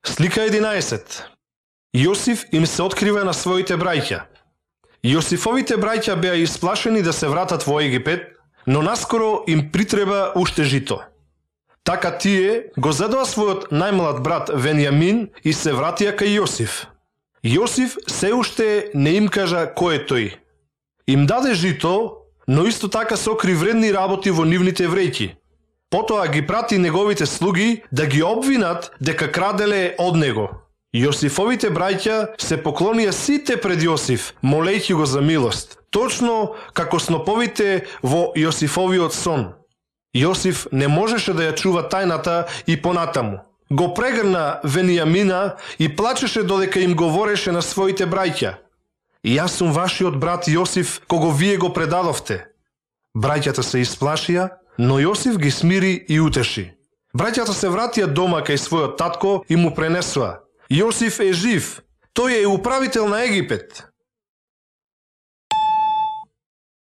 Слика 11. Јосиф им се открива на своите браќа. Јосифовите браќа беа исплашени да се вратат во Египет, но наскоро им притреба уште жито. Така тие го зедоа својот најмлад брат Венијамин и се вратија кај Јосиф. Јосиф се уште не им кажа кој е тој. Им даде жито, но исто така сокри вредни работи во нивните вреќи. Потоа ги прати неговите слуги да ги обвинат дека краделе од него. Јосифовите браќа се поклонија сите пред Јосиф, молејќи го за милост, точно како сноповите во Јосифовиот сон. Јосиф не можеше да ја чува тајната и понатаму. Го прегрна Венијамина и плачеше додека им говореше на своите браќа. Јас сум вашиот брат Јосиф, кого вие го предадовте. Браќата се исплашија, но Јосиф ги смири и утеши. Браќата се вратија дома кај својот татко и му пренесоа: Јосиф е жив, тој е управител на Египет.